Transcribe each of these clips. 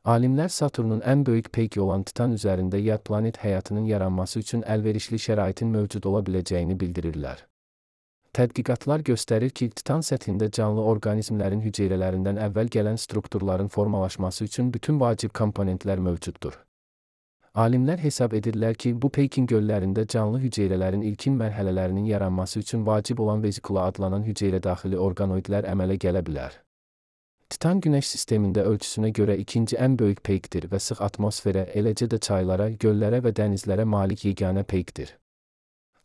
Alimlər Saturnun ən böyük peyki olan Titan üzərində yad planet həyatının yaranması üçün əlverişli şəraitin mövcud ola biləcəyini bildirirlər. Tədqiqatlar göstərir ki, Titan səthində canlı orqanizmlərin hüceyrələrindən əvvəl gələn strukturların formalaşması üçün bütün vacib komponentlər mövcuddur. Alimlər hesab edirlər ki, bu peykin göllərində canlı hüceyrələrin ilkin mərhələlərinin yaranması üçün vacib olan vezikula adlanan hüceyrədaxili orqanoidlər əmələ gələ bilər. Titan Günəş sistemində ölçüsünə görə ikinci ən böyük peykdir və sıx atmosferə, eləcə də çaylara, göllərə və dənizlərə malik yeganə peykdir.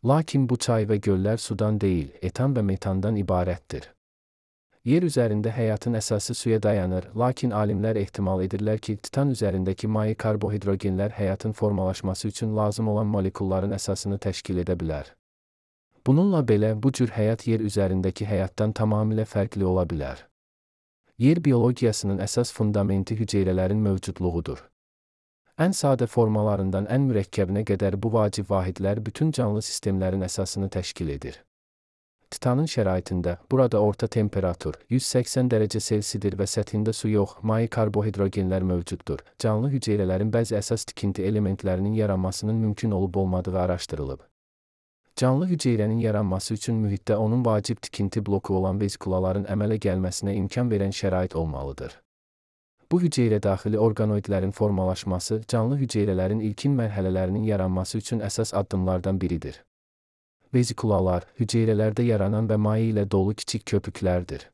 Lakin bu çay və göllər sudan deyil, etan və metandan ibarətdir. Yer üzərində həyatın əsası suya dayanır, lakin alimlər ehtimal edirlər ki, Titan üzərindəki maye karbohidrogenlər həyatın formalaşması üçün lazım olan molekulların əsasını təşkil edə bilər. Bununla belə, bu cür həyat yer üzərindəki həyatdan tamamilə fərqli ola bilər. Yer biologiyasının əsas fundamenti hüceyrələrin mövcudluğudur. Ən sadə formalarından ən mürəkkəbinə qədər bu vacib vahidlər bütün canlı sistemlərin əsasını təşkil edir. Titanın şəraitində, burada orta temperatur, 180 dərəcə Selsidir və səthində su yox, maye karbohidrogenlər mövcuddur. Canlı hüceyrələrin bəzi əsas tikinti elementlərinin yaranmasının mümkün olub-olmadığı araşdırılıb. Canlı hüceyrənin yaranması üçün mühitdə onun vacib tikinti bloku olan vezikulaların əmələ gəlməsinə imkan verən şərait olmalıdır. Bu hüceyrədaxili orqanoidlərin formalaşması canlı hüceyrələrin ilkin mərhələlərinin yaranması üçün əsas addımlardan biridir. Vezikulalar, hüceyrələrdə yaranan və maye ilə dolu kiçik köpüklərdir.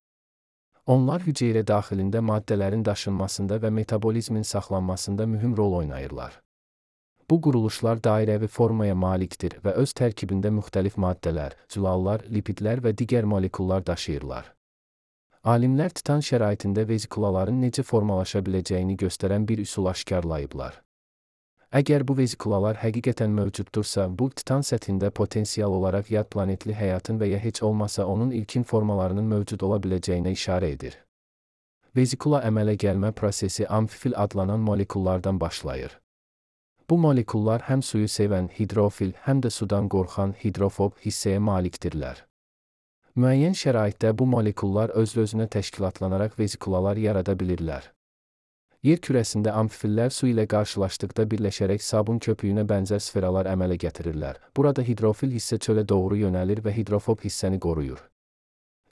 Onlar hüceyrə daxilində maddələrin daşınmasında və metabolizmin saxlanmasında mühüm rol oynayırlar. Bu quruluşlar dairəvi formaya malikdir və öz tərkibində müxtəlif maddələr, zülallar, lipidlər və digər molekullar daşıyırlar. Alimlər Titan şəraitində vezikulaların necə formalaşa biləcəyini göstərən bir üsul aşkarlayıblar. Əgər bu vezikulalar həqiqətən mövcuddursa, bu Titan səthində potensial olaraq yad planetli həyatın və ya heç olmasa onun ilkin formalarının mövcud ola biləcəyinə işarə edir. Vezikula əmələ gəlmə prosesi amfifil adlanan molekullardan başlayır. Bu molekullar həm suyu sevən hidrofil, həm də sudan qorxan hidrofob hissəyə malikdirlər. Müəyyən şəraitdə bu molekullar öz-özünə təşkilatlanaraq vezikulalar yarada bilirlər. Yer kürəsində amfifillər su ilə qarşılaşdıqda birləşərək sabun köpüyünə bənzər sferalar əmələ gətirirlər. Burada hidrofil hissə çölə doğru yönəlir və hidrofob hissəni qoruyur.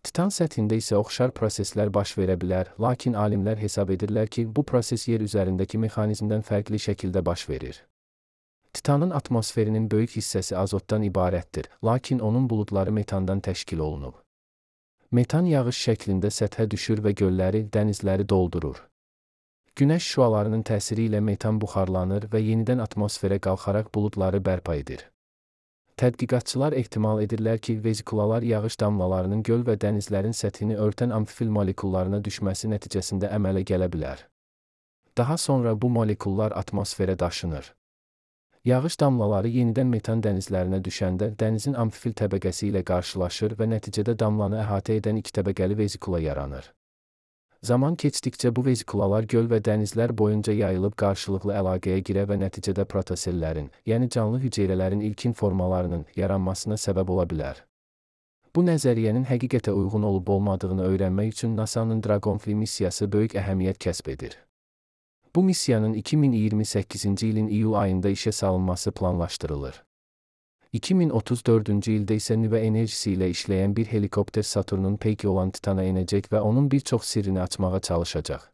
Titan səthində isə oxşar proseslər baş verə bilər, lakin alimlər hesab edirlər ki, bu proses yer üzərindəki mexanizmdən fərqli şəkildə baş verir. Titanın atmosferinin böyük hissəsi azotdan ibarətdir, lakin onun buludları metandan təşkil olunub. Metan yağış şəklində səthə düşür və gölləri, dənizləri doldurur. Günəş şüalarının təsiri ilə metan buxarlanır və yenidən atmosferə qalxaraq buludları bərpa edir. Tədqiqatçılar ehtimal edirlər ki, vezikulalar yağış damlalarının göl və dənizlərin səthini örtən amfifil molekullarına düşməsi nəticəsində əmələ gələ bilər. Daha sonra bu molekullar atmosferə daşınır. Yağış damlaları yenidən metan dənizlərinə düşəndə dənizin amfifil təbəqəsi ilə qarşılaşır və nəticədə damlanı əhatə edən iki təbəqəli vezikula yaranır. Zaman keçdikcə bu vezikulalar göl və dənizlər boyunca yayılıb qarşılıqlı əlaqəyə girə və nəticədə protosellərin, yəni canlı hüceyrələrin ilkin formalarının yaranmasına səbəb ola bilər. Bu nəzəriyyənin həqiqətə uyğun olub-olmadığını öyrənmək üçün NASA'nın Dragonfly missiyası böyük əhəmiyyət kəsb edir. Bu missiyanın 2028-ci ilin iyul ayında işə salınması planlaşdırılır. 2034-cü ildə isə nüvə enerjisi ilə işləyən bir helikopter Saturnun peyki olan Titana enəcək və onun bir çox sirrini açmağa çalışacaq.